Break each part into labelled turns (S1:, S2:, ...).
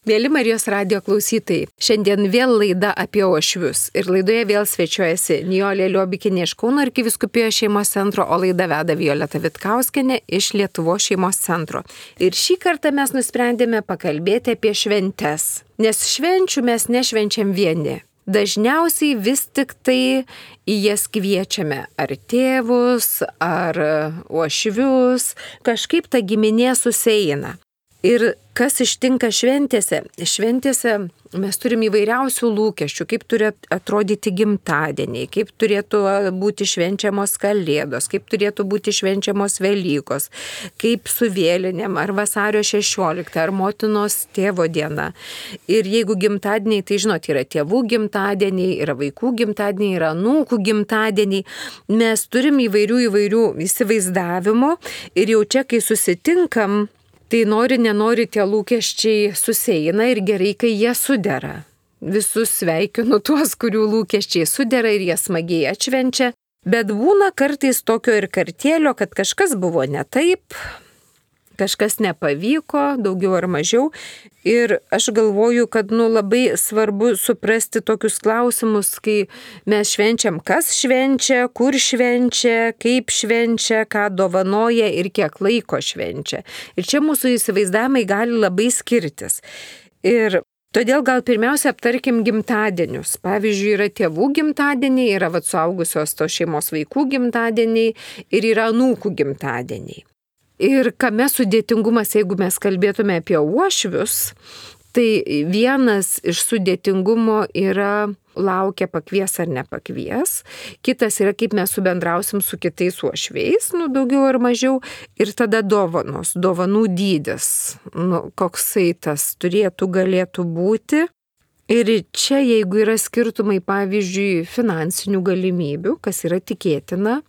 S1: Mėly Marijos radijo klausytojai, šiandien vėl laida apie uošvius ir laidoje vėl svečiuojasi Nijolė Liobikienė iš Kauno arkivyskupijos šeimos centro, o laidą veda Violeta Vitkauskienė iš Lietuvos šeimos centro. Ir šį kartą mes nusprendėme pakalbėti apie šventes, nes švenčių mes nešvenčiam vieni. Dažniausiai vis tik tai į jas kviečiame ar tėvus, ar uošvius, kažkaip ta giminė susieina. Ir kas ištinka šventėse? Šventėse mes turim įvairiausių lūkesčių, kaip turi atrodyti gimtadieniai, kaip turėtų būti švenčiamos Kalėdos, kaip turėtų būti švenčiamos Velykos, kaip su vėlinėm, ar vasario 16, ar motinos tėvo diena. Ir jeigu gimtadieniai, tai žinot, yra tėvų gimtadieniai, yra vaikų gimtadieniai, yra anūkų gimtadieniai. Mes turim įvairių įsivaizdavimų ir jau čia, kai susitinkam, tai nenori tie lūkesčiai susieina ir gerai, kai jie sudera. Visus sveikinu tuos, kurių lūkesčiai sudera ir jie smagiai atšvenčia, bet būna kartais tokio ir kartėlio, kad kažkas buvo ne taip, kažkas nepavyko, daugiau ar mažiau. Ir aš galvoju, kad labai svarbu suprasti tokius klausimus, kai mes švenčiam, kas švenčia, kur švenčia, kaip švenčia, ką dovanoja ir kiek laiko švenčia. Ir čia mūsų įsivaizdavimai gali labai skirtis. Ir todėl gal pirmiausia aptarkim gimtadienius. Pavyzdžiui, yra tėvų gimtadieniai, yra suaugusios tos šeimos vaikų gimtadieniai ir yra anūkų gimtadieniai. Ir kame sudėtingumas, jeigu mes kalbėtume apie uošvius, tai vienas iš sudėtingumo yra laukia pakvies ar nepakvies, kitas yra kaip mes subendrausim su kitais uošviais, daugiau ar mažiau, ir tada dovanos, dovanų dydis, koksai tas galėtų būti. Ir čia, jeigu yra skirtumai, pavyzdžiui, finansinių galimybių, kas yra tikėtina,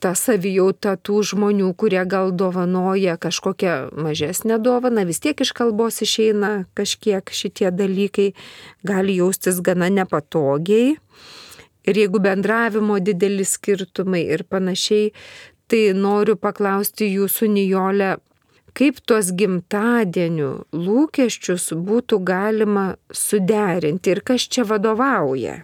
S1: ta savijauta tų žmonių, kurie gal dovanoja kažkokią mažesnę dovaną, vis tiek iš kalbos išeina kažkiek šitie dalykai, gali jaustis gana nepatogiai. Ir jeigu bendravimo dideli skirtumai ir panašiai, tai noriu paklausti jūsų, Nijolė, kaip tuos gimtadienių lūkesčius būtų galima suderinti ir kas čia vadovauja?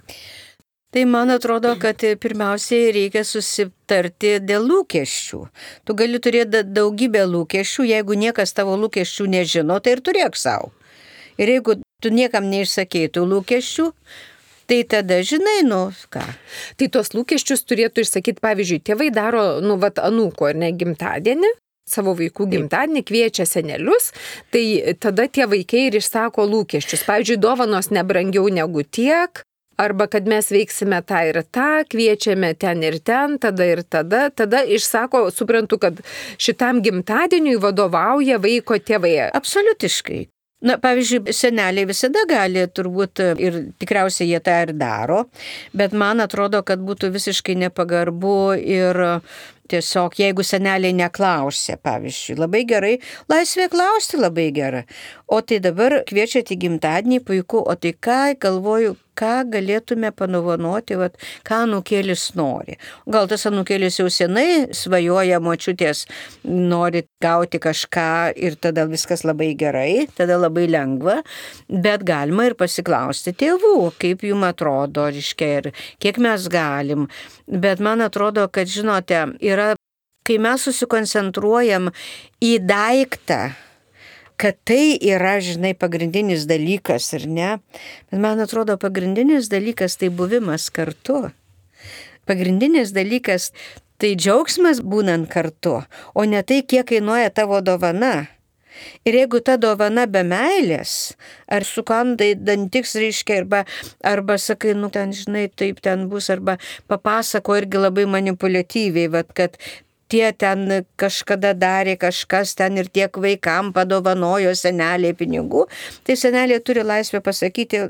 S2: Tai man atrodo, kad pirmiausiai reikia susitarti dėl lūkesčių. Tu gali turėti daugybę lūkesčių, jeigu niekas tavo lūkesčių nežino, tai ir turėk savo. Ir jeigu tu niekam neišsakei tų lūkesčių, tai tada žinai, ką.
S1: Tai tuos lūkesčius turėtų išsakyti, pavyzdžiui, tėvai daro, anūko ar ne gimtadienį, savo vaikų gimtadienį, kviečia senelius, tai tada tie vaikai ir išsako lūkesčius. Pavyzdžiui, dovanos nebrangiau negu tiek, arba kad mes veiksime tą ir tą, kviečiame ten ir ten, tada išsako, suprantu, kad šitam gimtadieniui vadovauja vaiko tėvai.
S2: Absoliutiškai. Pavyzdžiui, seneliai visada gali turbūt ir tikriausiai jie tą ir daro, bet man atrodo, kad būtų visiškai nepagarbu ir tiesiog, jeigu seneliai neklausia, pavyzdžiui, labai gerai, laisvė klausti labai gera. O tai dabar kviečiate į gimtadienį, puiku, o tai galvoju, ką galėtume panovanoti, ką anūkėlis nori. Gal tas anūkėlis jau senai svajoja, močiutės nori gauti kažką ir tada viskas labai gerai, tada labai lengva, bet galima ir pasiklausti tėvų, kaip jums atrodo, ir kiek mes galim. Bet man atrodo, kad, žinote, kai mes susikoncentruojam į daiktą, kad tai yra, pagrindinis dalykas, ar ne? Bet man atrodo, pagrindinis dalykas tai buvimas kartu. Pagrindinis dalykas tai džiaugsmas būnant kartu, o ne tai, kiek kainuoja tavo dovana. Ir jeigu ta dovana be meilės, ar sukandai dantiks, arba sakai, taip ten bus, arba papasako irgi labai manipuliatyviai, kad tie ten kažkada darė kažkas ten ir tiek vaikam padovanojo seneliai pinigų, tai seneliai turi laisvę pasakyti,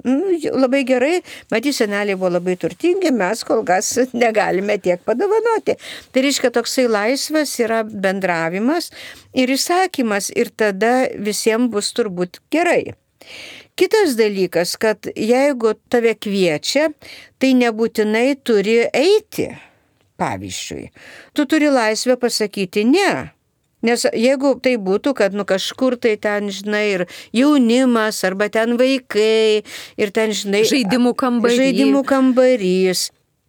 S2: labai gerai, matyt, seneliai buvo labai turtingi, mes kol kas negalime tiek padovanoti. Tai reiškia, toksai laisvas yra bendravimas ir įsakymas ir tada visiems bus turbūt gerai. Kitas dalykas, kad jeigu tave kviečia, tai nebūtinai turi eiti. Pavyzdžiui, tu turi laisvę pasakyti ne. Nes jeigu tai būtų, kad kažkur tai ten, žinai, ir jaunimas, arba ten vaikai, ir ten, žinai,
S1: Žaidimų
S2: kambarys.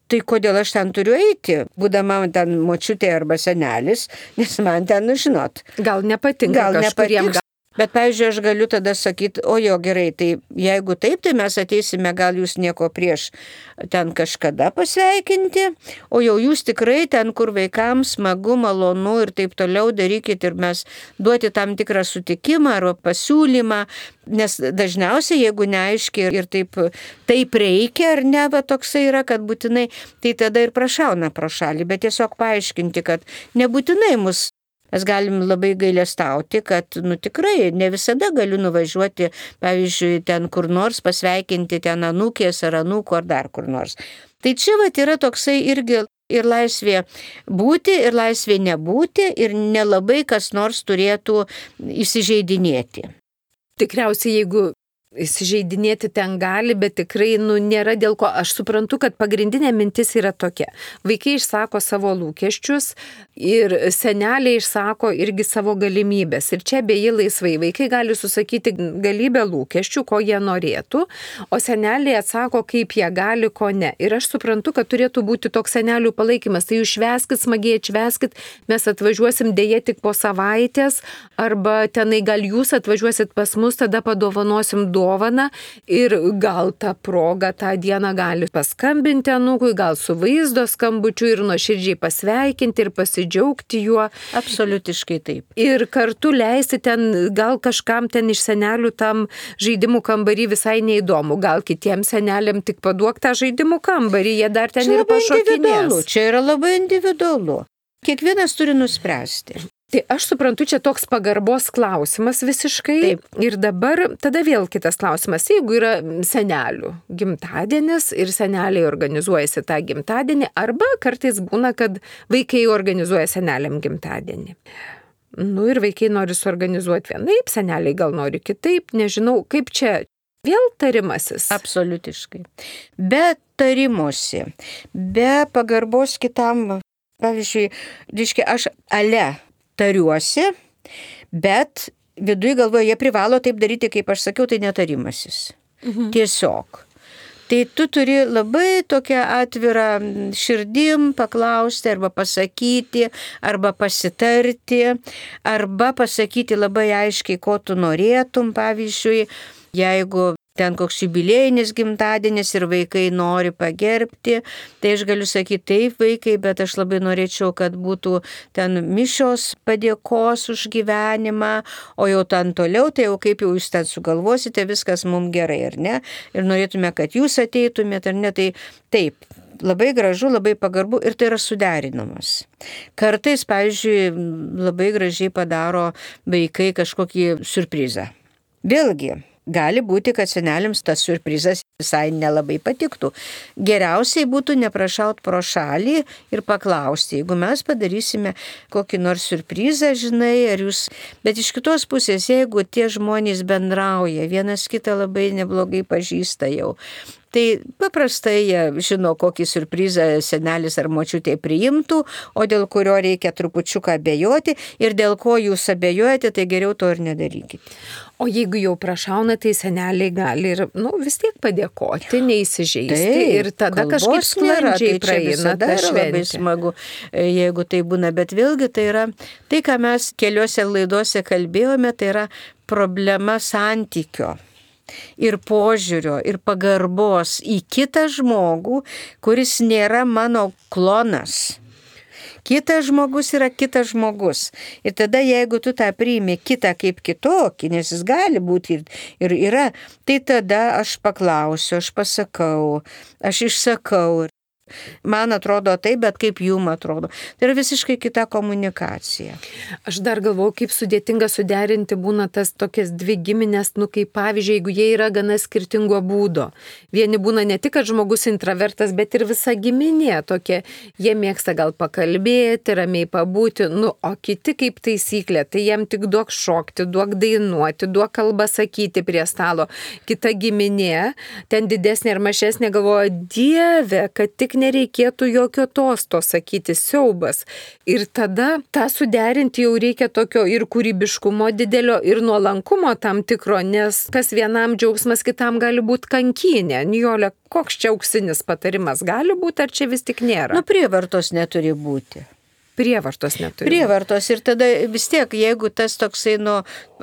S2: Tai kodėl aš ten turiu eiti, būdama ten močiutė arba senelis, nes man ten, žinot.
S1: Gal nepatinka kažkuriem.
S2: Bet, pavyzdžiui, aš galiu tada sakyti, o jo gerai, tai jeigu taip, tai mes ateisime, gal jūs nieko prieš ten kažkada pasveikinti, o jau jūs tikrai ten, kur vaikams smagu, malonu ir taip toliau darykit ir mes duoti tam tikrą sutikimą ar pasiūlymą, nes dažniausiai, jeigu neaiškiai ir taip reikia ar ne, va toksai yra, kad būtinai, tai tada ir prašauna pro šalį, bet tiesiog paaiškinti, kad nebūtinai mus. Mes galim labai gailestauti, kad, tikrai ne visada galiu nuvažiuoti, pavyzdžiui, ten kur nors pasveikinti ten anūkės ar anūkų ar dar kur nors. Tai čia yra toksai irgi ir laisvė būti, ir laisvė nebūti, ir nelabai kas nors turėtų įsižeidinėti.
S1: Tikriausiai, jeigu įsižeidinėti ten gali, bet tikrai nėra dėl ko. Aš suprantu, kad pagrindinė mintis yra tokia. Vaikai išsako savo lūkesčius ir seneliai išsako irgi savo galimybės. Ir čia beje laisvai. Vaikai gali susakyti galybę lūkesčių, ko jie norėtų, o seneliai atsako, kaip jie gali, ko ne. Ir aš suprantu, kad turėtų būti toks senelių palaikymas. Tai jūs švęskit, smagiai atšvęskit, mes atvažiuosim dėja tik po savaitės, arba tenai gal jūs atvažiuosit pas mus, tada padovanosim dovaną ir gal tą progą tą dieną gali paskambinti anūkui, gal su vaizdo skambučiu ir nuoširdžiai pasveikinti ir pasidžiaugti juo.
S2: Absoliutiškai taip.
S1: Ir kartu leisti ten, gal kažkam ten iš senelių tam žaidimų kambarį visai neįdomu, gal kitiems seneliam tik paduok tą žaidimų kambarį, jie dar ten ir pašokinės.
S2: Čia yra labai individualu. Kiekvienas turi nuspręsti.
S1: Tai aš suprantu, čia toks pagarbos klausimas visiškai. Taip. Ir dabar tada vėl kitas klausimas. Jeigu yra senelių gimtadienis ir seneliai organizuojasi tą gimtadienį, arba kartais būna, kad vaikai organizuoja seneliam gimtadienį. Ir vaikai nori suorganizuoti vienaip, seneliai gal nori kitaip, nežinau, kaip čia. Vėl tarimasis.
S2: Absoliutiškai. Be tarimosi, be pagarbos kitam, pavyzdžiui, aš tariuosi, bet viduje galvoje jie privalo taip daryti, kaip aš sakiau, tai netarimasis. Tiesiog. Tai tu turi labai tokią atvirą širdim paklausti arba pasakyti, arba pasitarti, arba pasakyti labai aiškiai, ko tu norėtum, pavyzdžiui, jeigu ten koks jubiliejinis gimtadienis ir vaikai nori pagerbti, tai aš galiu sakyti taip vaikai, bet aš labai norėčiau, kad būtų ten mišios padėkos už gyvenimą, o jau ten toliau, tai jau kaip jau jūs ten sugalvosite, viskas mums gerai, ar ne? Ir norėtume, kad jūs ateitumėte, ar ne? Tai taip. Labai gražu, labai pagarbu ir tai yra suderinamas. Kartais, pavyzdžiui, labai gražiai padaro vaikai kažkokį siurprizą. Vėlgi, gali būti, kad seneliams tas siurprizas visai nelabai patiktų. Geriausiai būtų neprašaut pro šalį ir paklausti, jeigu mes padarysime kokį nors siurprizą, žinai, ar jūs... Bet iš kitos pusės, jeigu tie žmonės bendrauja, vienas kitą labai neblogai pažįsta jau, tai paprastai jie žino, kokį siurprizą senelis ar močiutė priimtų, o dėl kurio reikia trupučiuką abejoti ir dėl ko jūs abejojate, tai geriau to ir nedarykite.
S1: O jeigu jau prašauna, tai seneliai gali ir vis tiek padėkoti, neįsižeisti. Tai, ir tada kažkaip sklandžiai praeina ta šventė.
S2: Labai smagu, jeigu tai būna, bet vėlgi tai yra tai, ką mes keliose laidose kalbėjome, tai yra problema santykio. Ir požiūrio, ir pagarbos į kitą žmogų, kuris nėra mano klonas. Kitas žmogus yra kitas žmogus. Ir tada, jeigu tu tą priimi kitą kaip kitokį, nes jis gali būti ir yra, tai tada aš paklausiu, aš pasakau, aš išsakau. Man atrodo taip, bet kaip jum atrodo. Tai yra visiškai kita komunikacija.
S1: Aš dar galvoju, kaip sudėtinga suderinti būna tas tokias dvi giminės, kaip pavyzdžiui, jeigu jie yra gana skirtingo būdo. Vieni būna ne tik, kad žmogus intravertas, bet ir visa giminė tokia. Jie mėgsta gal pakalbėti, ramiai pabūti, o kiti kaip taisyklė, tai jiem tik duok šokti, duok dainuoti, duok kalbą sakyti prie stalo. Kita giminė, ten didesnė ir mažesnė, galvoja, Dieve, kad tik nereikėtų jokio tosto sakyti, siaubas. Ir tada tą suderinti jau reikia tokio ir kūrybiškumo didelio, ir nuolankumo tam tikro, nes kas vienam džiaugsmas, kitam gali būti kankynė. Nijole, koks čia auksinis patarimas gali būti, ar čia vis tik nėra?
S2: Prievartos neturi būti.
S1: Prievartos neturi.
S2: Prievartos ir tada vis tiek, jeigu tas toksai,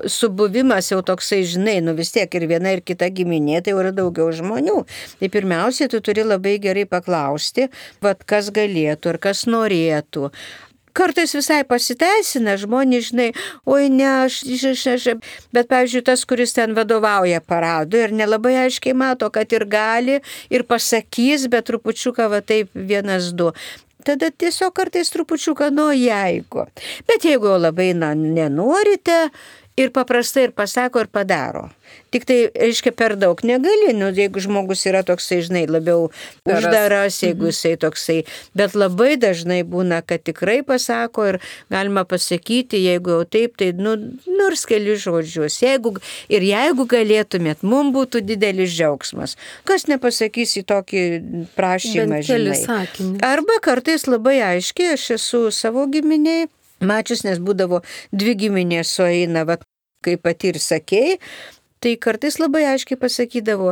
S2: subuvimas jau toksai, žinai, vis tiek ir viena ir kita giminė, tai jau yra daugiau žmonių. Tai pirmiausiai, tu turi labai gerai paklausti, kas galėtų ir kas norėtų. Kartais visai pasiteisina, žmonės, žinai, oi ne, aš, bet, pavyzdžiui, tas, kuris ten vadovauja paradui ir nelabai aiškiai mato, kad ir gali, ir pasakys, bet trupučiuką taip 1-2. Tada tiesiog kartais trupučiuką jeigu. Bet jeigu jau labai nenorite ir paprastai ir pasako ir padaro. Tik tai, reiškia, per daug negali, jeigu žmogus yra toksai, žinai, labiau uždaras, jeigu jisai toksai, bet labai dažnai būna, kad tikrai pasako ir galima pasakyti, jeigu jau taip, tai nors keli žodžius. Jeigu galėtumėt, mums būtų didelis džiaugsmas. Kas nepasakys į tokį prašymą, žinai. Arba kartais labai aiškiai, aš esu savo giminiai mačius, nes būdavo 2 giminės sueina, kaip pati ir sakei, tai kartais labai aiškiai pasakydavo,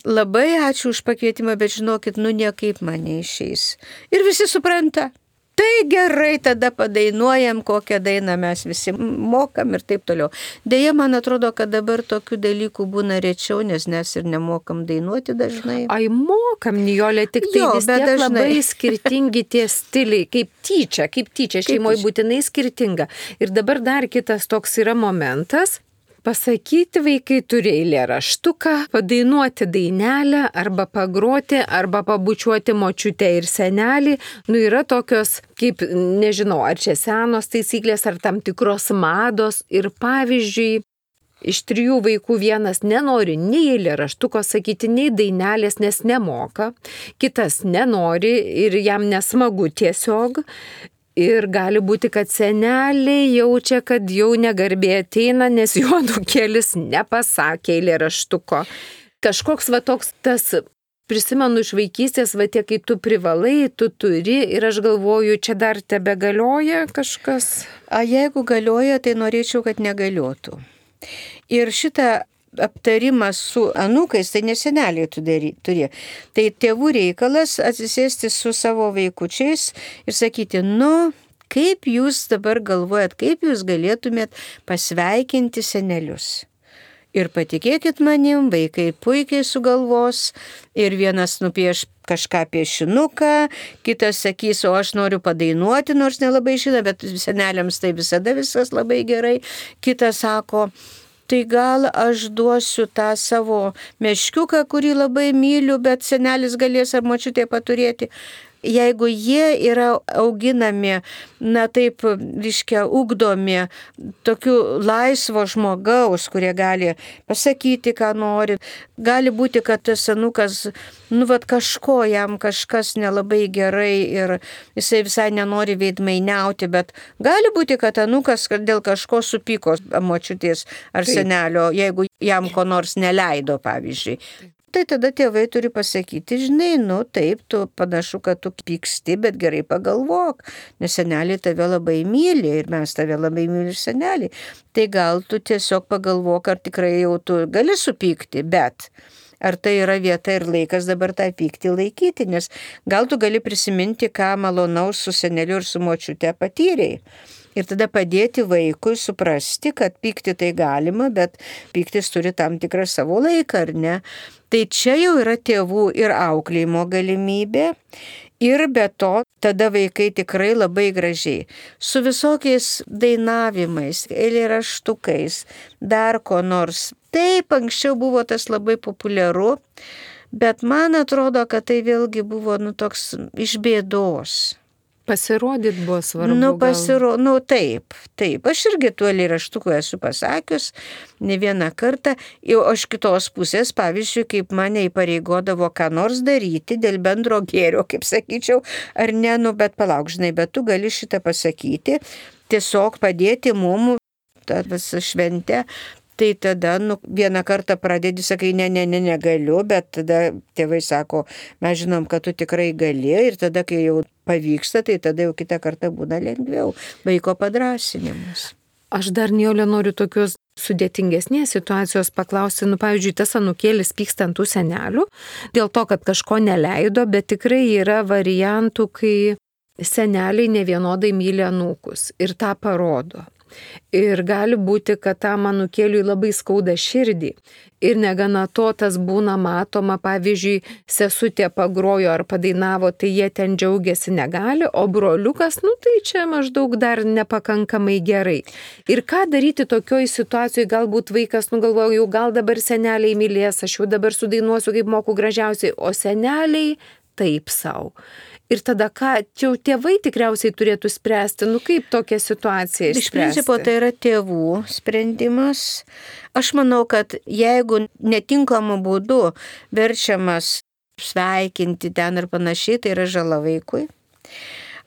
S2: labai ačiū už pakvietimą, bet žinokit, niekaip man neišeis. Ir visi supranta. Tai gerai, tada padainuojam, kokią dainą mes visi mokam ir taip toliau. Deja, man atrodo, kad dabar tokių dalykų būna rečiau, nes mes ir nemokam dainuoti dažnai.
S1: Ai, mokam, Nijolė, tik tai vis tiek labai skirtingi tie stiliai, kaip tyčia, šeimoje būtinai skirtinga. Ir dabar dar kitas toks yra momentas. Pasakyti vaikai turi eilėraštuką, padainuoti dainelę, arba pagroti, arba pabučiuoti močiutę ir senelį. Yra tokios, kaip, nežinau, ar čia senos taisyklės, ar tam tikros mados. Ir pavyzdžiui, iš 3 vaikų vienas nenori nei eilėraštuko sakyti, nei dainelės, nes nemoka. Kitas nenori ir jam nesmagu tiesiog. Ir gali būti, kad seneliai jaučia, kad jau negarbė ateina, nes jo anūkėlis nepasakė eilėraštuko. Kažkoks toks tas, prisimenu iš vaikystės, tie, kai tu privalai, tu turi, ir aš galvoju, čia dar tebegalioja kažkas?
S2: Jeigu galioja, tai norėčiau, kad negaliotų. Ir šitą aptarimas su anūkais, tai neseneliai turi. Tai tėvų reikalas atsisėsti su savo vaikučiais ir sakyti, kaip jūs dabar galvojat, kaip jūs galėtumėt pasveikinti senelius. Ir patikėkit manim, vaikai puikiai sugalvos ir vienas nupieš kažką piešinuką, kitas sakys, o aš noriu padainuoti, nors nelabai žino, bet seneliams tai visada viskas labai gerai. Kitas sako, tai gal aš duosiu tą savo meškiuką, kurį labai myliu, bet senelis galės ar močiutė paturėti. Jeigu jie yra auginami, taip, ugdomi tokiu laisvo žmogaus, kurie gali pasakyti, ką nori, gali būti, kad tas anūkas, kažko jam kažkas nelabai gerai ir jisai visai nenori veidmainiauti, bet gali būti, kad anūkas dėl kažko supyko močiutės ar senelio, jeigu jam ko nors neleido, pavyzdžiui. Tai tada tėvai turi pasakyti, žinai, taip, tu panašu, kad tu pyksti, bet gerai pagalvok, nes seneliai tave labai myli ir mes tave labai myli ir seneliai. Tai gal tu tiesiog pagalvok, ar tikrai jau tu gali supykti, bet ar tai yra vieta ir laikas dabar tą pyktį laikyti, nes gal tu gali prisiminti, ką malonaus su seneliu ir su močiute patyrei. Ir tada padėti vaikui suprasti, kad pykti tai galima, bet pyktis turi tam tikrą savo laiką, ar ne? Tai čia jau yra tėvų ir auklėjimo galimybė. Ir be to, tada vaikai tikrai labai gražiai. Su visokiais dainavimais, eilėraštukais, dar ko nors. Taip, anksčiau buvo tas labai populiaru, bet man atrodo, kad tai vėlgi buvo toks iš bėdos.
S1: Pasirodyt buvo svarbu.
S2: Taip. Aš irgi tų eilėraštukų esu pasakius ne vieną kartą. O iš kitos pusės, pavyzdžiui, kaip mane įpareigodavo ką nors daryti dėl bendro gėrio, kaip sakyčiau, ar ne, bet palauk, žinai, bet tu gali šitą pasakyti, tiesiog padėti mum tą visą šventę. Tai tada vieną kartą pradedi, sakai, negaliu, bet tada tėvai sako, mes žinom, kad tu tikrai gali ir tada, kai jau pavyksta, tai tada jau kitą kartą būna lengviau. Vaiko padrąsinimas.
S1: Aš dar, Nijolė, noriu tokios sudėtingesnės situacijos paklausti, pavyzdžiui, tas anūkėlis pyksta ant tų senelių, dėl to, kad kažko neleido, bet tikrai yra variantų, kai seneliai nevienodai myli anūkus ir tą parodo. Ir gali būti, kad tam anūkėliui labai skauda širdį. Ir negana to, tas būna matoma, pavyzdžiui, sesutė pagrojo ar padainavo, tai jie ten džiaugiasi negali, o broliukas, tai čia maždaug dar nepakankamai gerai. Ir ką daryti tokioj situacijoje, galbūt vaikas galvoja, jau gal dabar seneliai mylės, aš jau dabar sudainuosiu, kaip moku gražiausiai, o seneliai taip savo. Ir tada ką, čia jau tėvai tikriausiai turėtų spręsti, kaip tokią situaciją išspręsti.
S2: Iš principo tai yra tėvų sprendimas. Aš manau, kad jeigu netinkamu būdu verčiamas sveikinti ten ir panašiai, tai yra žala vaikui.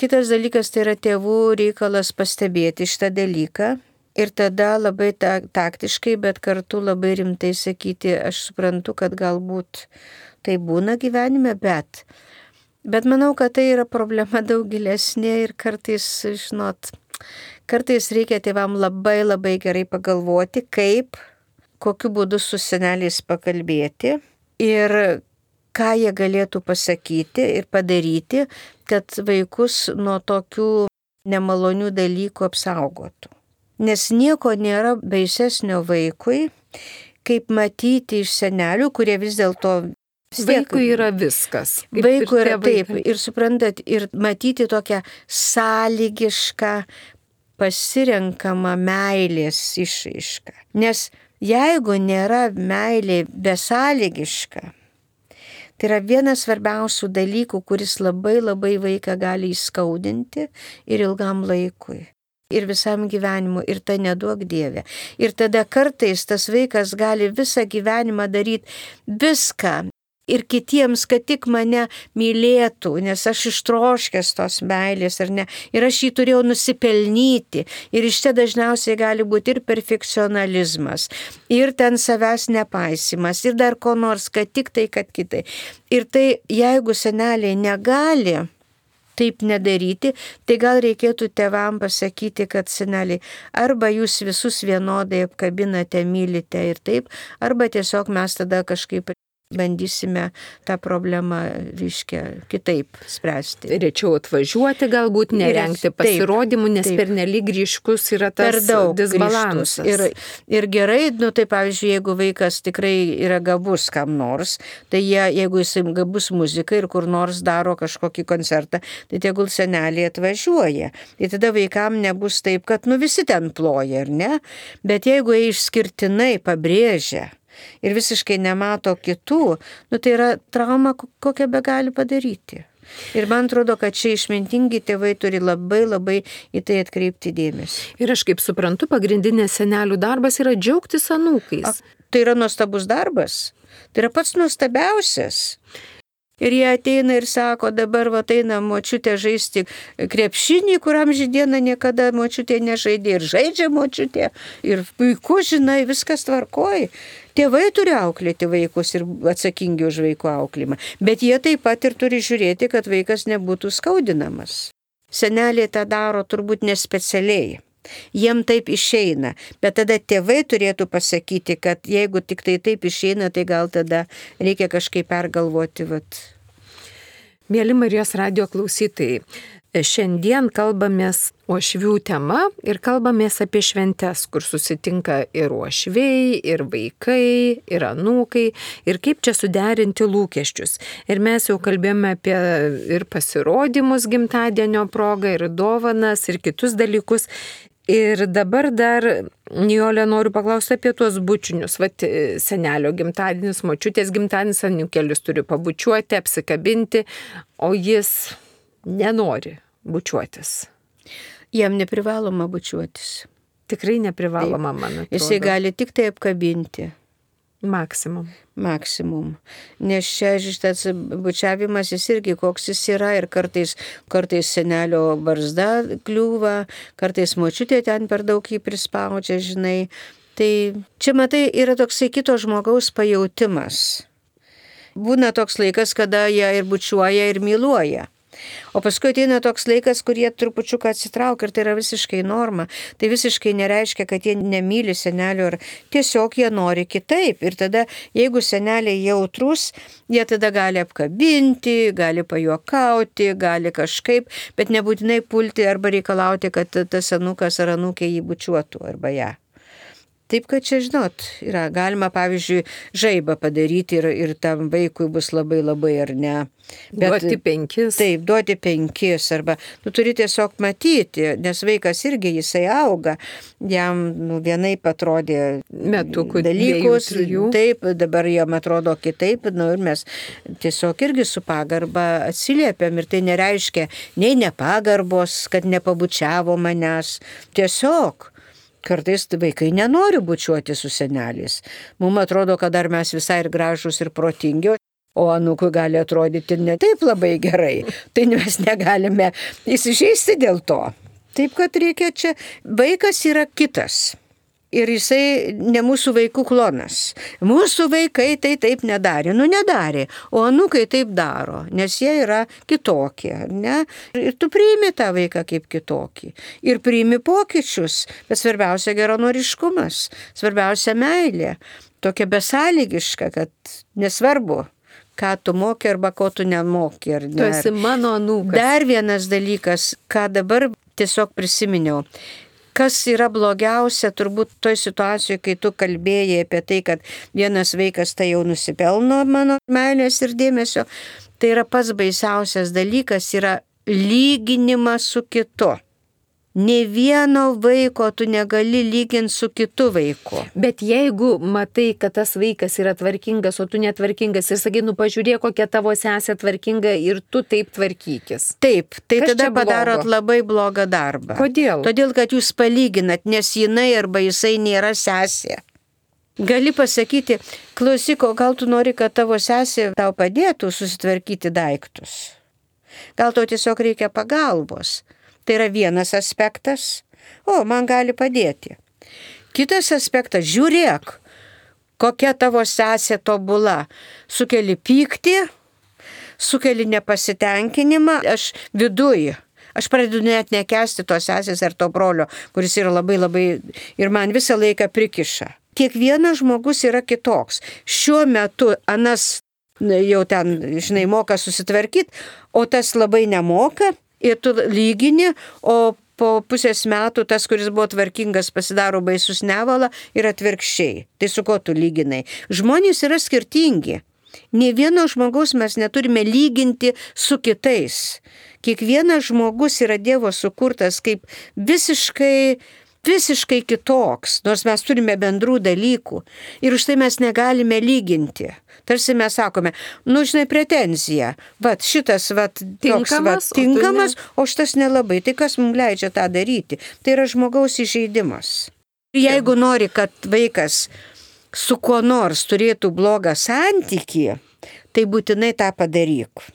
S2: Kitas dalykas tai yra tėvų reikalas pastebėti šitą dalyką. Ir tada labai taktiškai, bet kartu labai rimtai sakyti, aš suprantu, kad galbūt tai būna gyvenime, Bet manau, kad tai yra problema daug gilesnė ir kartais, kartais reikia tėvam labai gerai pagalvoti, kokiu būdu su seneliais pakalbėti ir ką jie galėtų pasakyti ir padaryti, kad vaikus nuo tokių nemalonių dalykų apsaugotų. Nes nieko nėra baisesnio vaikui, kaip matyti iš senelių, kurie vis dėlto
S1: Vaikui yra viskas.
S2: Vaikui yra taip. Ir suprantat, ir matyti tokią sąlygišką pasirenkamą meilės išraišką. Nes jeigu nėra meilė besąlygiška, tai yra vienas svarbiausių dalykų, kuris labai vaiką gali įskaudinti ir ilgam laikui. Ir visam gyvenimui, ir tai neduok Dieve. Ir tada kartais tas vaikas gali visą gyvenimą daryti viską, ir kitiems, kad tik mane mylėtų, nes aš ištroškęs tos meilės ar ne, ir aš jį turėjau nusipelnyti. Ir iš čia dažniausiai gali būti ir perfekcionalizmas, ir ten savęs nepaisimas, ir dar ko nors, kad tik tai, kad kitai. Ir tai, jeigu seneliai negali taip nedaryti, tai gal reikėtų tėvam pasakyti, kad seneliai, arba jūs visus vienodai apkabinate, mylite ir taip, arba tiesiog mes tada kažkaip bandysime tą problemą, kitaip spręsti.
S1: Rečiau atvažiuoti, galbūt nerengti pasirodymų, nes pernelyg ryškus yra tas disbalansas.
S2: Ir gerai, tai pavyzdžiui, jeigu vaikas tikrai yra gabus kam nors, tai jeigu jis gabus muzikai ir kur nors daro kažkokį koncertą, tai tegul seneliai atvažiuoja. Tai tada vaikam nebus taip, kad visi ten ploja, ar ne? Bet jeigu jie išskirtinai pabrėžia ir visiškai nemato kitų, tai yra trauma, kokią be gali padaryti. Ir man atrodo, kad čia išmintingi tėvai turi labai į tai atkreipti dėmesį.
S1: Ir aš kaip suprantu, pagrindinės senelių darbas yra džiaugtis anūkais.
S2: Tai yra nuostabus darbas. Tai yra pats nuostabiausias. Ir jie ateina ir sako, dabar ateina močiutė žaisti krepšinį, kuriam žydieną niekada močiutė nežaidė ir žaidžia močiutė. Ir puiku, žinai, viskas tvarkoja. Tėvai turi auklėti vaikus ir atsakingi už vaikų auklymą. Bet jie taip pat ir turi žiūrėti, kad vaikas nebūtų skaudinamas. Seneliai tą daro turbūt nespecialiai. Jiem taip išeina. Bet tada tėvai turėtų pasakyti, kad jeigu tik tai taip išeina, tai gal tada reikia kažkaip pergalvoti.
S1: Mėly Marijos radijo klausytojai, šiandien kalbamės uošvių tema ir kalbamės apie šventes, kur susitinka ir uošviai, ir vaikai, ir anūkai, ir kaip čia suderinti lūkesčius. Ir mes jau kalbėjome apie ir pasirodymus gimtadienio progą, ir dovanas, ir kitus dalykus. Ir dabar dar, Nijolė, noriu paklausti apie tuos bučinius. Senelio gimtadienis, močiutės gimtadienis, anūkėlis turi pabučiuoti, apsikabinti, o jis nenori bučiuotis.
S2: Jam neprivaloma bučiuotis.
S1: Tikrai neprivaloma, man atrodo.
S2: Jisai gali tik tai apkabinti.
S1: Maksimum.
S2: Nes čia šitas bučiavimas jis irgi koks jis yra ir kartais senelio barzda kliūva, kartais močiutė ten per daug jį prispaudžia, žinai. Tai čia, matai, yra toksai kito žmogaus pajautimas. Būna toks laikas, kada jie ir bučiuoja, ir myluoja. O paskui ateina toks laikas, kur jie trupučiuką atsitraukia ir tai yra visiškai norma. Tai visiškai nereiškia, kad jie nemyli senelio, ar tiesiog jie nori kitaip. Ir tada, jeigu seneliai jautrus, jie tada gali apkabinti, gali pajuokauti, gali kažkaip, bet nebūtinai pulti arba reikalauti, kad tas anukas ar anūkė jį bučiuotų arba ją. Taip, kad čia, žinot, yra galima, pavyzdžiui, žaibą padaryti ir tam vaikui bus labai ar ne.
S1: Bet, duoti 5.
S2: Taip, duoti 5 arba tu turi tiesiog matyti, nes vaikas irgi jisai auga, jam vienaip atrodė
S1: metukų
S2: dalykus,
S1: 2-3.
S2: Taip, dabar jam atrodo kitaip, ir mes tiesiog irgi su pagarba atsiliepiam ir tai nereiškia nei nepagarbos, kad nepabučiavo manęs, tiesiog. Kartais vaikai nenori bučiuoti su seneliais. Mums atrodo, kad dar mes visai ir gražus ir protingi, o anūkui gali atrodyti ne taip labai gerai. Tai mes negalime įsižeisti dėl to. Taip, kad reikia čia. Vaikas yra kitas. Ir jisai ne mūsų vaikų klonas. Mūsų vaikai tai taip nedarė. Nedarė. O anūkai taip daro, nes jie yra kitokie. Ne? Ir tu priimi tą vaiką kaip kitokį. Ir priimi pokyčius. Bet svarbiausia geranoriškumas. Svarbiausia meilė. Tokia besąlygiška, kad nesvarbu, ką tu moki arba ko tu nemoki.
S1: Tu esi mano anūkas.
S2: Dar vienas dalykas, ką dabar tiesiog prisiminiau. Kas yra blogiausia turbūt toj situacijoje, kai tu kalbėjai apie tai, kad vienas vaikas tai jau nusipelno mano meilės ir dėmesio, tai yra pats baisiausias dalykas, yra lyginimas su kitu. Nė vieno vaiko tu negali lyginti su kitu vaiku.
S1: Bet jeigu matai, kad tas vaikas yra tvarkingas, o tu netvarkingas ir sakai, pažiūrėk, kokia tavo sesė tvarkinga ir tu taip tvarkykis.
S2: Taip, tai
S1: kas
S2: tada padarot labai blogą darbą.
S1: Kodėl?
S2: Todėl, kad jūs palyginat, nes jinai arba jisai nėra sesė. Gali pasakyti, klausyk, o gal tu nori, kad tavo sesė tau padėtų susitvarkyti daiktus? Gal tau tiesiog reikia pagalbos? Tai yra vienas aspektas, man gali padėti. Kitas aspektas, žiūrėk, kokia tavo sesė tobula. Sukeli pyktį, sukeli nepasitenkinimą, aš pradedu net nekęsti tos sesės ar to brolio, kuris yra labai ir man visą laiką prikiša. Kiekvienas žmogus yra kitoks. Šiuo metu anas jau ten, moka susitvarkyti, o tas labai nemoka. Ir tu lygini, o po pusės metų tas, kuris buvo tvarkingas, pasidaro baisus nevala ir atvirkščiai. Tai su ko tu lyginai? Žmonės yra skirtingi. Nė vieno žmogaus mes neturime lyginti su kitais. Kiekvienas žmogus yra Dievo sukurtas kaip visiškai kitoks, nors mes turime bendrų dalykų. Ir už tai mes negalime lyginti. Tarsi mes sakome, pretenzija, šitas tinkamas, o šitas nelabai. Tai kas mums leidžia tą daryti? Tai yra žmogaus įžeidimas. Jeigu nori, kad vaikas su kuo nors turėtų blogą santykį, tai būtinai tą padaryk.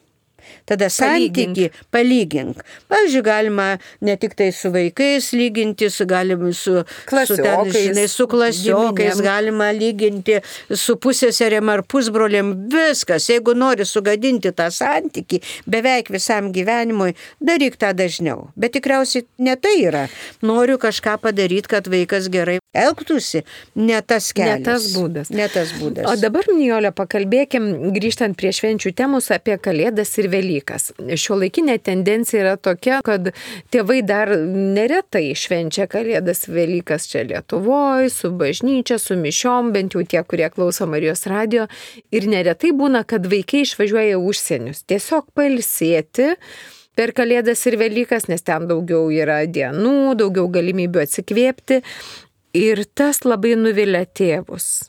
S2: Tada santykį palygink. Pavyzdžiui, galima ne tik tai su vaikais lyginti, galima su klasiokais, galima lyginti su pusseserėm ar pusbrolėm, viskas. Jeigu nori sugadinti tą santykį beveik visam gyvenimui, daryk tą dažniau. Bet tikriausiai ne tai yra. Noriu kažką padaryti, kad vaikas gerai elgtųsi, ne tas kelias. Ne tas būdas.
S1: O dabar, Nijole, pakalbėkim, grįžtant prie švenčių temos, apie Kalėdas ir Velykas. Šiuolaikinė tendencija yra tokia, kad tėvai dar neretai švenčia Kalėdas, Velykas čia Lietuvoje, su bažnyčia, su mišiom, bent jau tie, kurie klauso Marijos radijo. Ir neretai būna, kad vaikai išvažiuoja užsienius. Tiesiog pailsėti per Kalėdas ir Velykas, nes ten daugiau yra dienų, daugiau galimybių atsikvėpti. Ir tas labai nuvilia tėvus.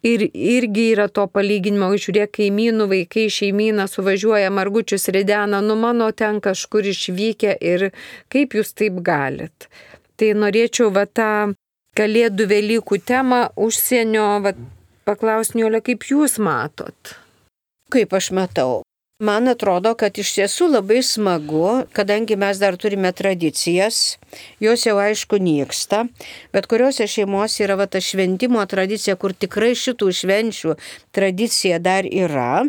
S1: Ir irgi yra to palyginimo, žiūrėk, kaimynų vaikai šeimyną suvažiuoja, margučius ridena, mano ten kažkur išvykę ir kaip jūs taip galit. Tai norėčiau tą Kalėdų Velykų temą užsienio paklausti, Nijole, kaip jūs matot?
S2: Kaip aš matau? Man atrodo, kad iš tiesų labai smagu, kadangi mes dar turime tradicijas, jos jau aišku nyksta, bet kuriuose šeimose yra ta šventimo tradicija, kur tikrai šitų švenčių tradicija dar yra,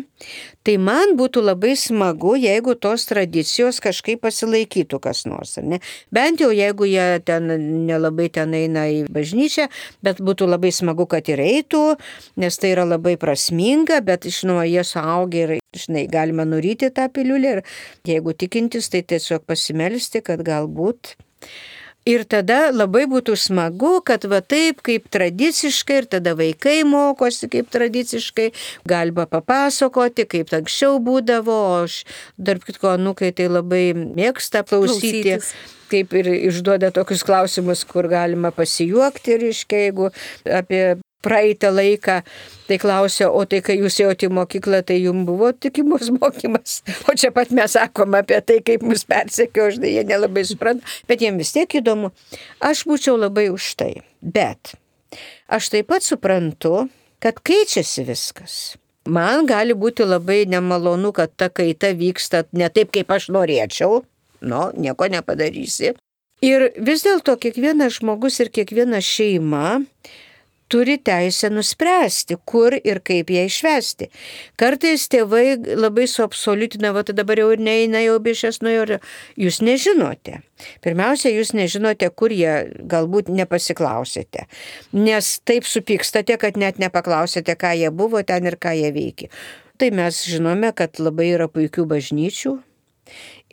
S2: tai man būtų labai smagu, jeigu tos tradicijos kažkaip pasilaikytų kas nors, ar ne? Bent jau jeigu jie ten nelabai ten eina į bažnyčią, bet būtų labai smagu, kad ir eitų, nes tai yra labai prasminga, bet žinoma, jie suaugę ir žinai, galima nuryti tą piliulę ir jeigu tikintis, tai tiesiog pasimelsti, kad galbūt. Ir tada labai būtų smagu, kad va taip kaip tradiciškai ir tada vaikai mokosi kaip tradiciškai, galima papasakoti, kaip anksčiau būdavo, o aš tarp kitko anūkai tai labai mėgsta klausytis. Kaip ir išduoda tokius klausimus, kur galima pasijuokti, reiškia, jeigu apie praeitą laiką, tai klausia, o tai kai jūs ėjote į mokyklą, tai jums buvo tikimos mokymas. O čia pat mes sakom apie tai, kaip mus persekio, žinai, jie nelabai supranta, bet jiems vis tiek įdomu. Aš būčiau labai už tai, bet aš taip pat suprantu, kad keičiasi viskas. Man gali būti labai nemalonu, kad ta kaita vyksta ne taip, kaip aš norėčiau, nieko nepadarysi. Ir vis dėlto kiekvienas žmogus ir kiekviena šeima turi teisę nuspręsti, kur ir kaip ją išvesti. Kartais tėvai labai suabsoliutina, tai dabar jau ir neina, jau bišės nuėjo, jūs nežinote. Pirmiausia, jūs nežinote, kur jie, galbūt nepasiklausėte, nes taip supykstate, kad net nepaklausėte, ką jie buvo ten ir ką jie veikė. Tai mes žinome, kad labai yra puikių bažnyčių.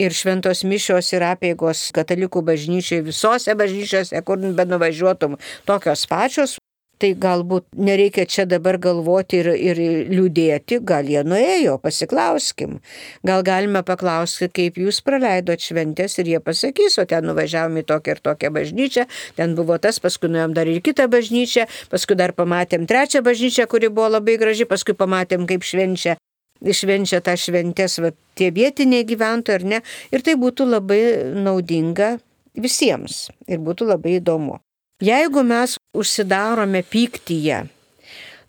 S2: Ir šventos mišios ir apeigos katalikų bažnyčiai, visose bažnyčiose, kur benuvažiuotum, tokios pačios. Tai galbūt nereikia čia dabar galvoti ir liūdėti, gal jie nuėjo, pasiklauskim. Gal galime paklausti, kaip jūs praleidot šventės ir jie pasakys, o ten nuvažiavom į tokią ir tokią bažnyčią, ten buvo tas, paskui nuėjom dar ir kitą bažnyčią, paskui dar pamatėm trečią bažnyčią, kuri buvo labai graži, paskui pamatėm, kaip švenčia tą šventės tie vietiniai gyventojai, ar ne. Ir tai būtų labai naudinga visiems ir būtų labai įdomu. Jeigu mes užsidarome pyktyje,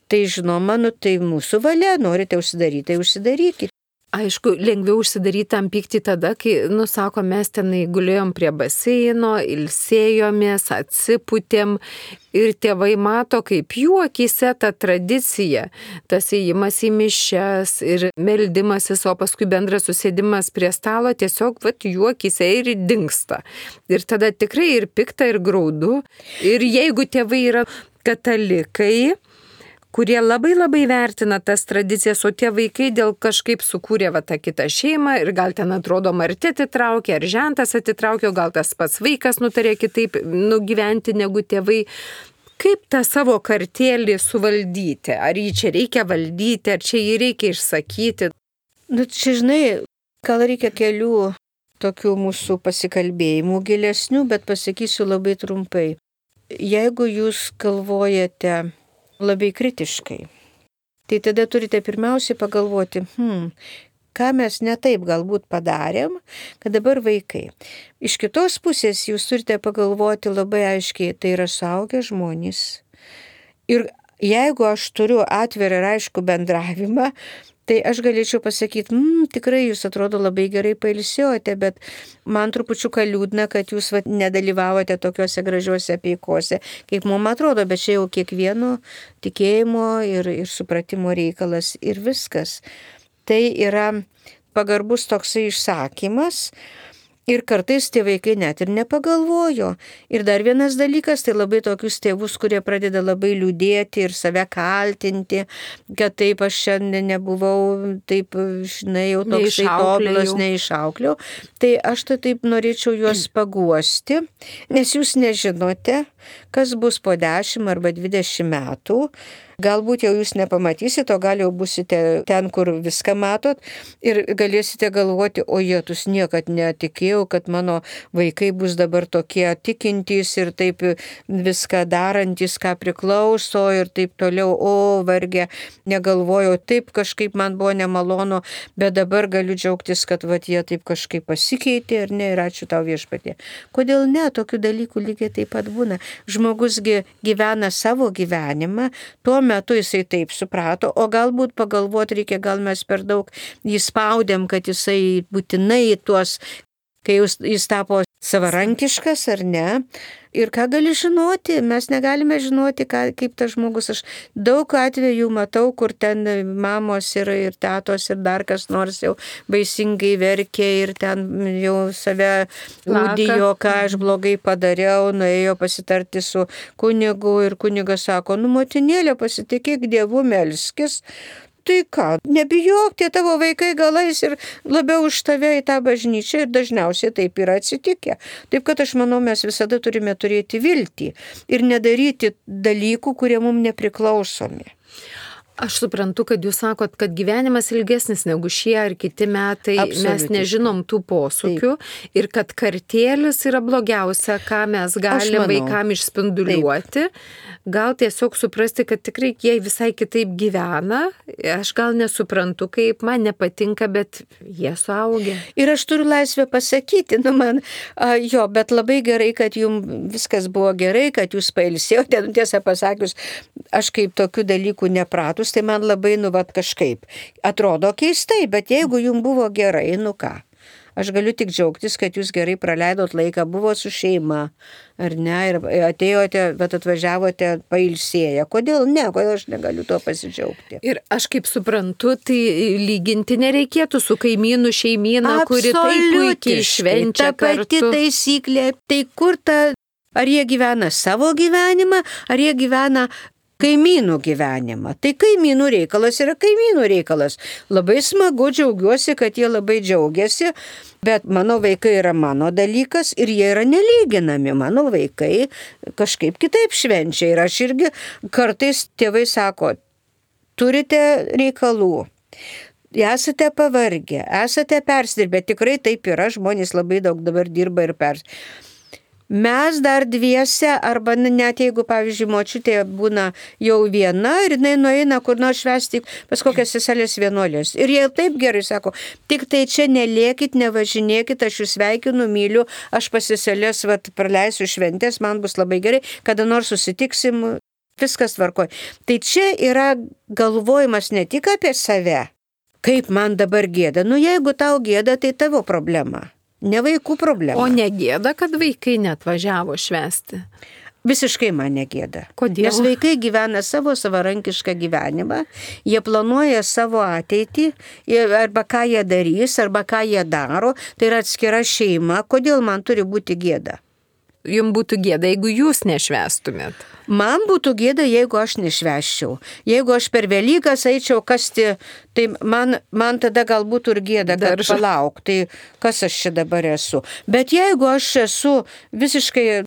S2: tai žinoma, tai mūsų valia, norite užsidaryti, tai užsidarykite.
S1: Aišku, lengviau užsidaryti tam pykti tada, kai, sako, mes tenai gulėjom prie baseino, ilsėjomės, atsipūtėm ir tėvai mato, kaip jų akyse ta tradicija, tas įėjimas į mišias ir meldimasis, o paskui bendras susėdimas prie stalo tiesiog jų akyse ir dingsta. Ir tada tikrai ir pikta, ir graudu. Ir jeigu tėvai yra katalikai, kurie labai labai vertina tas tradicijas, o tie vaikai dėl kažkaip sukūrė tą kitą šeimą ir gal ten atrodo Marti atitraukė, ar žentas atitraukė, o gal tas pats vaikas nutarė kitaip nugyventi negu tėvai. Kaip tą savo kartėlį suvaldyti? Ar jį čia reikia valdyti, ar čia jį reikia išsakyti?
S2: Čia žinai, gal reikia kelių tokių mūsų pasikalbėjimų gilesnių, bet pasakysiu labai trumpai. Jeigu jūs galvojate labai kritiškai, tai tada turite pirmiausiai pagalvoti, ką mes ne taip galbūt padarėm, kad dabar vaikai. Iš kitos pusės jūs turite pagalvoti labai aiškiai, tai yra suaugę žmonės. Ir jeigu aš turiu atvirą ir aišku bendravimą, tai aš galėčiau pasakyti, tikrai jūs atrodo labai gerai pailsėjote, bet man trupučiuką liūdna, kad jūs nedalyvavote tokiuose gražiuose apeikose, kaip mums atrodo, bet čia jau kiekvieno tikėjimo ir supratimo reikalas ir viskas. Tai yra pagarbus toksai išsakymas. Ir kartais tie vaikai net ir nepagalvojo. Ir dar vienas dalykas, tai labai tokius tėvus, kurie pradeda labai liūdėti ir save kaltinti, kad taip aš šiandien nebuvau, taip, žinai, jau toksai tobulas, neišaukliau. Tai aš taip norėčiau juos paguosti, nes jūs nežinote, kas bus po 10 arba 20 metų. Galbūt jau jūs nepamatysit, o gal jau busite ten, kur viską matot ir galėsite galvoti, o jėtus niekad netikėjau, kad mano vaikai bus dabar tokie tikintys ir taip viską darantys, ką priklauso ir taip toliau, o vargė, negalvojau, taip kažkaip man buvo nemalonu, bet dabar galiu džiaugtis, kad jie taip kažkaip pasikeitė ir ne, ir ačiū tau viešpatie. Kodėl ne, tokių dalykų lygiai taip pat būna. Žmogusgi gyvena savo gyvenimą, tuo metu jisai taip suprato, o galbūt pagalvoti reikia, gal mes per daug jį spaudėm, kad jisai būtinai tuos, kai jis tapo savarankiškas ar ne. Ir ką gali žinoti? Mes negalime žinoti, kaip tas žmogus. Aš daug atvejų matau, kur ten mamos ir tetos ir dar kas nors jau baisingai verkė ir ten jau save liudijo, ką aš blogai padariau, nuėjo pasitarti su kunigu ir kunigas sako, motinėlė, pasitikėk Dievu, melskis. Tai ką, nebijok, tie tavo vaikai galais ir labiau už tave į tą bažnyčią ir dažniausiai taip yra atsitikę. Taip kad aš manau, mes visada turime turėti viltį ir nedaryti dalykų, kurie mums nepriklausomi.
S1: Aš suprantu, kad jūs sakot, kad gyvenimas ilgesnis negu šie ar kiti metai, mes nežinom tų posūkių ir kad kartėlis yra blogiausia, ką mes galim vaikam išspinduliuoti. Gal tiesiog suprasti, kad tikrai jie visai kitaip gyvena, aš gal nesuprantu, kaip man nepatinka, bet jie suaugę.
S2: Ir aš turiu laisvę pasakyti, bet labai gerai, kad jums viskas buvo gerai, kad jūs pailsėjote, tiesą pasakius, aš kaip tokių dalykų nepratus, tai man labai, kažkaip atrodo keistai, bet jeigu jums buvo gerai, ką? Aš galiu tik džiaugtis, kad jūs gerai praleidot laiką, buvo su šeima, ar ne, ir atėjote, bet atvažiavote pailsėję. Kodėl ne, kodėl aš negaliu tuo pasidžiaugti?
S1: Ir aš kaip suprantu, tai lyginti nereikėtų su kaimynų šeimyna, kuri taip puikiai švenčia kartu.
S2: Ta pati taisyklė, tai kur ar jie gyvena savo gyvenimą, ar jie gyvena kaimynų gyvenimą. Tai kaimynų reikalas yra kaimynų reikalas. Labai smagu, džiaugiuosi, kad jie labai džiaugiasi, bet mano vaikai yra mano dalykas ir jie yra nelyginami. Mano vaikai kažkaip kitaip švenčia ir aš irgi kartais tėvai sako, turite reikalų. Esate pavargę, esate persidirbę, tikrai taip yra, žmonės labai daug dabar dirba ir Mes dar dviese, arba net jeigu, pavyzdžiui, močiutė būna jau viena ir jinai nueina kur nors švęsti pas kokias seselės vienuolės. Ir jie taip gerai sako, tik tai čia nelėkit, nevažinėkit, aš jūs sveikinu, myliu, aš pas seselės praleisiu šventės, man bus labai gerai, kada nors susitiksim, viskas tvarkoj. Tai čia yra galvojimas ne tik apie save, kaip man dabar gėda. Jeigu tau gėda, tai tavo problema. Ne vaikų problema.
S1: O negėda, kad vaikai neatvažiavo švęsti?
S2: Visiškai man negėda.
S1: Kodėl?
S2: Nes vaikai gyvena savo savarankišką gyvenimą, jie planuoja savo ateitį, arba ką jie darys, arba ką jie daro, tai yra atskira šeima. Kodėl man turi būti gėda?
S1: Jums būtų gėda, jeigu jūs nešvęstumėt.
S2: Man būtų gėda, jeigu aš nešvęsčiau. Jeigu aš per Velykas eičiau kasti, tai man tada gal būtų ir gėda, kad palauk, tai kas aš čia dabar esu. Bet jeigu aš esu visiškai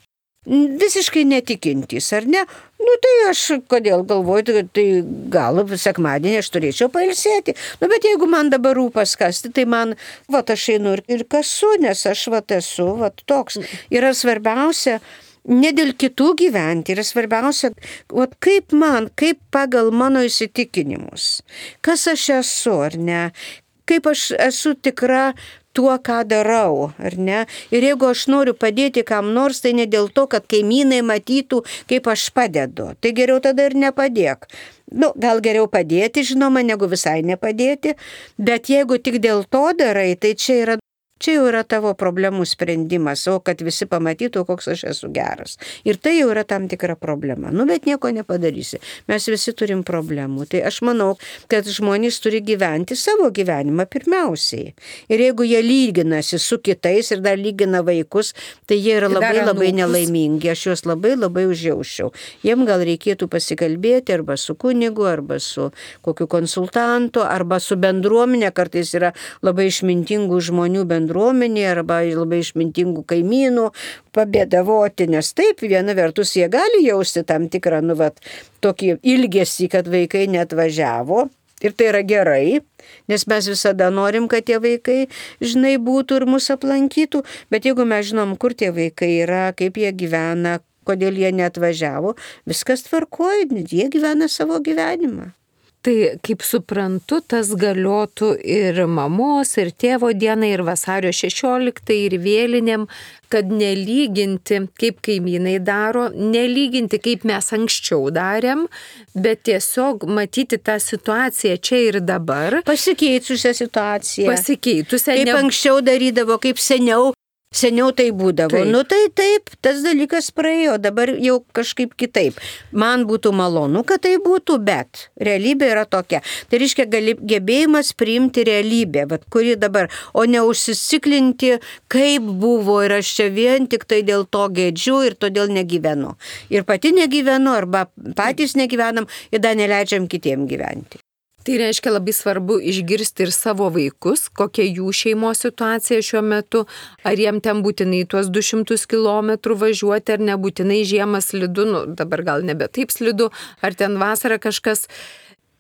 S2: netikintis, ar ne? Tai aš kodėl galvoju, tai gal sekmadienį aš turėčiau pailsėti. Bet jeigu man dabar rūpas kasti, tai man, aš einu ir kasu, nes aš esu toks. Yra svarbiausia ne dėl kitų gyventi, yra svarbiausia, kaip pagal mano įsitikinimus. Kas aš esu, ar ne? Kaip aš esu tikra tuo, ką darau, ar ne? Ir jeigu aš noriu padėti kam nors, tai ne dėl to, kad kaimynai matytų, kaip aš padedu. Tai geriau tada ir nepadėk. Gal geriau padėti, žinoma, negu visai nepadėti, bet jeigu tik dėl to darai, tai čia jau yra tavo problemų sprendimas, o kad visi pamatytų, koks aš esu geras. Ir tai jau yra tam tikra problema. Bet nieko nepadarysi. Mes visi turim problemų. Tai aš manau, kad žmonės turi gyventi savo gyvenimą pirmiausiai. Ir jeigu jie lyginasi su kitais ir dar lygina vaikus, tai jie yra labai nelaimingi. Aš juos labai užjaučiau. Jiem gal reikėtų pasikalbėti arba su kunigu, arba su kokiu konsultantu, arba su bendruomenė. Kartais yra labai išmintingų žmonių bendruomenė arba labai išmintingų kaimynų pabėdavoti, nes taip, viena vertus jie gali jausti tam tikrą, tokį ilgesį, kad vaikai neatvažiavo. Ir tai yra gerai, nes mes visada norim, kad tie vaikai, būtų ir mus aplankytų, bet jeigu mes žinom, kur tie vaikai yra, kaip jie gyvena, kodėl jie neatvažiavo, viskas tvarkoja, jie gyvena savo gyvenimą.
S1: Tai, kaip suprantu, tas galiotų ir mamos, ir tėvo dienai, ir vasario 16, ir vėlinėm, kad nelyginti, kaip kaimynai daro, nelyginti, kaip mes anksčiau darėm, bet tiesiog matyti tą situaciją čia ir dabar.
S2: Pasikeitusią situaciją.
S1: Pasikeitusią.
S2: Kaip anksčiau darydavo, kaip seniau. Seniau tai būdavo.
S1: Taip.
S2: Nu tai taip, tas dalykas praėjo, dabar jau kažkaip kitaip. Man būtų malonu, kad tai būtų, bet realybė yra tokia. Tai reiškia gebėjimas priimti realybę, kuri dabar, o ne užsisiklinti, kaip buvo ir aš čia vien tik tai dėl to gėdžiu ir todėl negyvenu. Ir pati negyvenu, arba patys negyvenam ir dar neleidžiam kitiem gyventi.
S1: Tai reiškia labai svarbu išgirsti ir savo vaikus, kokia jų šeimos situacija šiuo metu, ar jiem ten būtinai tuos 200 km važiuoti, ar nebūtinai žiemą slidu, dabar gal nebe taip slidu, ar ten vasarą kažkas.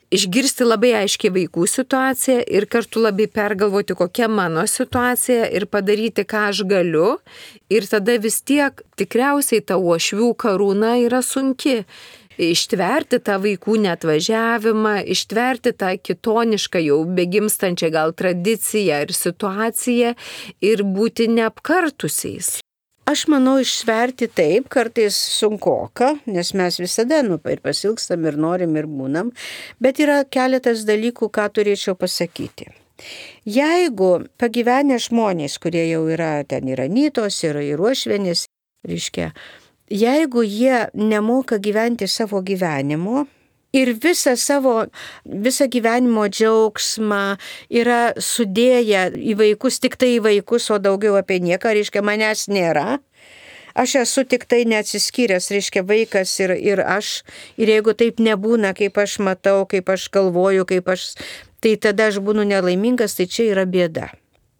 S1: Išgirsti labai aiškiai vaikų situaciją ir kartu labai pergalvoti, kokia mano situacija ir padaryti, ką aš galiu. Ir tada vis tiek tikriausiai ta uošvių karūna yra sunki. Ištverti tą vaikų neatvažiavimą, ištverti tą kitonišką jau begimstančią gal tradiciją ir situaciją ir būti neapkartusiais.
S2: Aš manau, ištverti taip, kartais sunkoka, nes mes visada ir pasilgstam, ir norim, ir būnam, bet yra keletas dalykų, ką turėčiau pasakyti. Jeigu pagyvenę žmonės, kurie jau yra ten ir anytos, ir uošvienės, reiškia, jeigu jie nemoka gyventi savo gyvenimo ir visą gyvenimo džiaugsmą yra sudėję į vaikus, tik tai į vaikus, o daugiau apie nieką, reiškia, manęs nėra. Aš esu tik tai neatsiskyręs, reiškia, vaikas ir aš. Ir jeigu taip nebūna, kaip aš matau, kaip aš galvoju, tai tada aš būnu nelaimingas, tai čia yra bėda.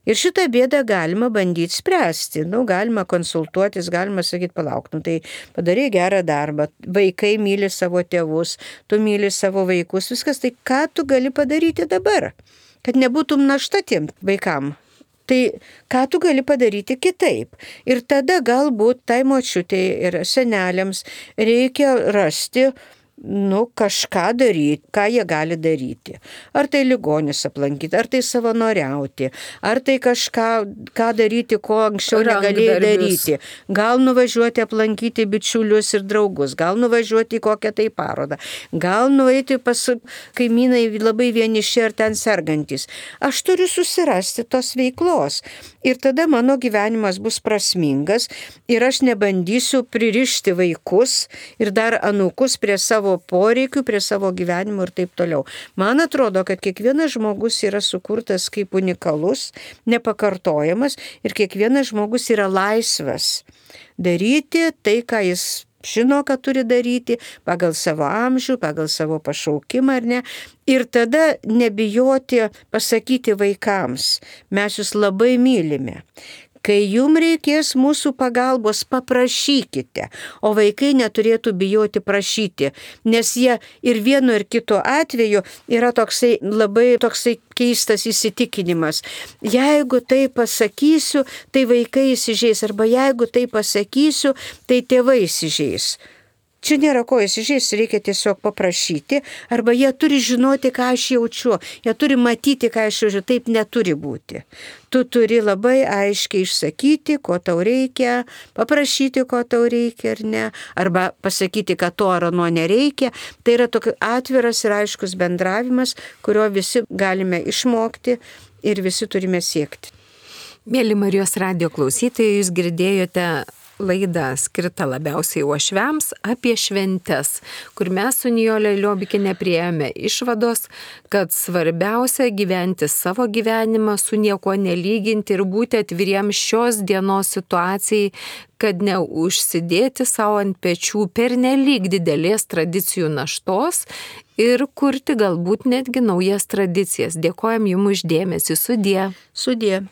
S2: Ir šitą bėdą galima bandyti spręsti. Galima konsultuotis, galima sakyti, palauk, tai padarai gerą darbą. Vaikai myli savo tėvus, tu myli savo vaikus, viskas. Tai ką tu gali padaryti dabar, kad nebūtum našta tiem vaikam? Tai ką tu gali padaryti kitaip? Ir tada galbūt tai močiutei ir seneliams reikia rasti kažką daryti, ką jie gali daryti. Ar tai ligonis aplankyti, ar tai savanoriauti, ar tai ką daryti, ko anksčiau negalėjai daryti. Gal nuvažiuoti aplankyti bičiulius ir draugus, gal nuvažiuoti į kokią tai parodą, gal nueiti pas kaimynai labai vieniši ar ten sergantis. Aš turiu susirasti tos veiklos ir tada mano gyvenimas bus prasmingas ir aš nebandysiu pririšti vaikus ir dar anūkus prie savo poreikių, prie savo gyvenimo ir taip toliau. Man atrodo, kad kiekvienas žmogus yra sukurtas kaip unikalus, nepakartojamas ir kiekvienas žmogus yra laisvas daryti tai, ką jis žino, ką turi daryti pagal savo amžių, pagal savo pašaukimą ar ne. Ir tada nebijoti pasakyti vaikams, mes jūs labai mylime. Kai jums reikės mūsų pagalbos, paprašykite, o vaikai neturėtų bijoti prašyti, nes jie ir vienu ir kitu atveju yra labai keistas įsitikinimas. Jeigu tai pasakysiu, tai vaikai įsižeis, arba jeigu tai pasakysiu, tai tėvai įsižeis. Čia nėra ko įsižeis, reikia tiesiog paprašyti, arba jie turi žinoti, ką aš jaučiu, jie turi matyti, ką aš jaučiu, taip neturi būti. Tu turi labai aiškiai išsakyti, ko tau reikia, paprašyti, ko tau reikia ar ne, arba pasakyti, kad to ar ano nereikia. Tai yra toks atviras ir aiškus bendravimas, kurio visi galime išmokti ir visi turime siekti.
S1: Mėly Marijos radijo klausytojai, jūs girdėjote laidą skirtą labiausiai uošviams apie šventes, kur mes su Nijole Liobikiene priėjome išvados, kad svarbiausia gyventi savo gyvenimą, su niekuo nelyginti ir būti atviriems šios dienos situacijai, kad neužsidėti savo ant pečių pernelyg didelės tradicijų naštos ir kurti galbūt netgi naujas tradicijas. Dėkojam jums už dėmesį. Sudie.
S2: Sudie.